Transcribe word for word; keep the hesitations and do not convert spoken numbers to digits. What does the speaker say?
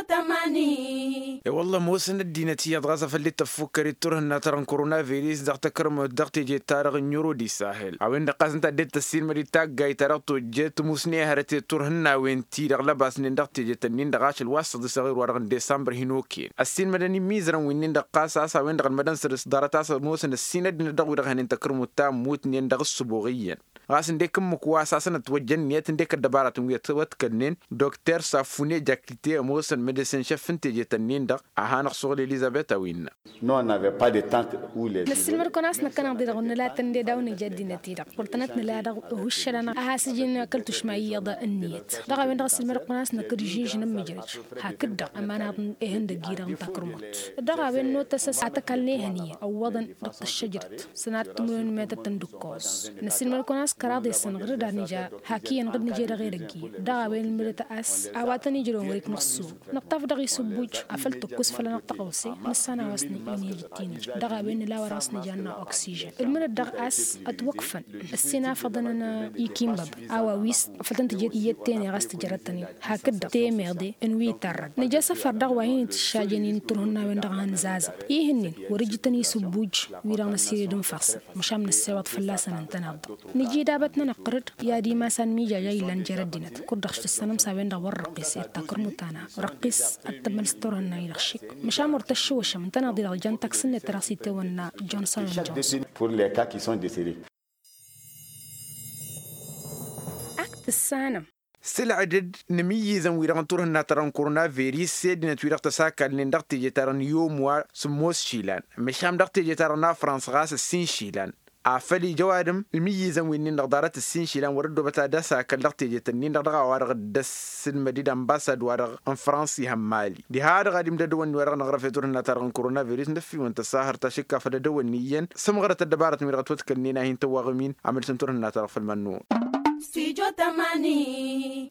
Tămani. E-wălla ămoosăn ăddinăt iyyăḍ ɣas afăl dd-tăffukkăr d-turhǝnna-ta-dăɣ n-korona viris dăɣ-takărmut dăɣ-teje-ta-dăɣ n-yuro d-isahel a-wen-dăɣ ɣas ǝnta a dd-tăssinmăd-dd taggayt ta dăɣ-tojjet tǝmusne hărăt i-turhǝnnawen-ti-dăɣ lăbasnen dăɣ-tejet-ǝnnin-dăɣ ašăl wa s-săḍisăɣir-wa-dăɣ n-desămbăr hin-okăyăn ăssiinmădăn imizărăn wi-nin-dăɣ ɣas a-s a-wen-dăɣ ălmădăn săr-s ḍarăt a-s ămoosăn ăssin ăddinăt dăɣ-wi-dăɣ hănen takărmut ta ămmutnen dăɣ-ǝssǝboɣ iyyăn. Ɣas ǝndek ǝmmǝk wa s-asăn ătwăjja ǝnniyăt ǝndek ăddăbaratăn wi ătwătkălnen dokter safune jakite ămoosăn medăsen šăf n-tejet-ǝnnin-dăɣ a hanăɣ-suɣǝl elizăbet a-wa innă. Năssilmăd-kăwăn a-s năkkăneḍ-i-dăɣ nǝla tăn-dd-edaw nǝja ăddinăt-i-dăɣ wăr tănăt-nǝla dăɣ-uhuššăl a has-ǝjǝn akăl tušma iyyăḍ ǝnniyăt. Dăɣ-a-wen-dăɣ ăssilmăd-kăwăn a-s năkkăd žǝžǝnăm mǝjrăj hakd-dăɣ ămanăɣ ehăn dăgg-i-dăɣ n-takărmut. Dăɣ-a-wen n-otăsăs a tăkall n-ehăn iyyăn ăwwăḍăn dăɣ-tăššăjrăt sănat timǝrwen metăt n-dăkkoẓ. Năssilmăd-kăwăn a-s kăraḍ i-săn ɣǝrǝd ad-nǝja hak iyyăn ɣǝd nǝje dăɣ-edăgg iyyăn dăɣ-a-wen ǝlmǝdăt a-s a-wa tăn-ijrăwăn wăr-ik năɣ-suɣ nǝṭṭaf dăɣ-isǝbbuj afăl tǝkkus făll-anăɣ tăɣawse. Nǝssan a-wa s-nǝj-dd-tinǝj dăɣ-a-wen nǝla wa dăɣ-s nǝja n-oksijăn ǝlmǝdăt dăɣ-a-s ătwăkfăn ăssin afăḍăn n-ikinbăbăn a-wa wi s-afăl tăn-tǝjed iyyăt tene ɣas tǝjrăd-tăn-in hakd-dăɣ temeḍe n-wi tărrăd nǝja asăfar dăɣ-wa hin-itǝššajăn-in turhǝnnawen-dăɣ a hăn-zazăɣ. Ih'-ǝnnin wăr-ǝjǝtăn isǝbbuj wi-dăɣ năsired n-ifassăn măšan năssewăḍ fălla-săn ǝntăneḍ-dăɣ. Nǝji dabăt-nănăɣ tărăd i-ad-imasan mijaja illan jer-ăddinăt kud-dăɣ s-tǝssănăm s-a-wen-dăɣ wăr răqqis i-takărmut-ta-năɣ răqqis. Ad-tămmăl s-turhǝnna-i-dăɣ šik măšan wăr tăššǝwăšăm ǝntăneḍ-i-dăɣ jan taksǝnnet ta dăɣ-s itawănna johnson and johnson. Ak tǝssanăm. S-ǝlɣǝdăd n-imǝyyǝzăn-wi-dăɣ n-turhǝnna-ta-dăɣ n-korona viris s-e-ăddinăt-wi-dăɣ tăsakalnen dăɣ-teje-ta-dăɣ n-iyyum wa sǝmmos išilan măšan dăɣ-teje-ta-dăɣ n-afrans ɣas ǝssin išilan. Afăl ija ăwadǝm imǝyyǝzăn wi-nin-dăɣ ḍarăt ǝssin išilan wăr-ăddoobăt ad-asakăl dăɣ-teje-tăn-in-dăɣ dăɣ-a-wa-dăɣ dd-ăssilmăd-dd ănbasad-wa-dăɣ n-frans ihămmali diha-dăɣ ad-imdădăwănni wa dăɣ-năɣrăf i-turhǝnna-ta-dăɣ n-korona viris n-ăffiwăn tăsahăr ta šǝkka făll-edăwănni iyyăn s-ămɣărăt ăddăbarătăn wi-dăɣ ătwătkălnen a hin-tăwwaɣǝm-in. Amǝlǝs n-turhǝnna-ta-dăɣ făll-mănnuɣ. Stujo tămani.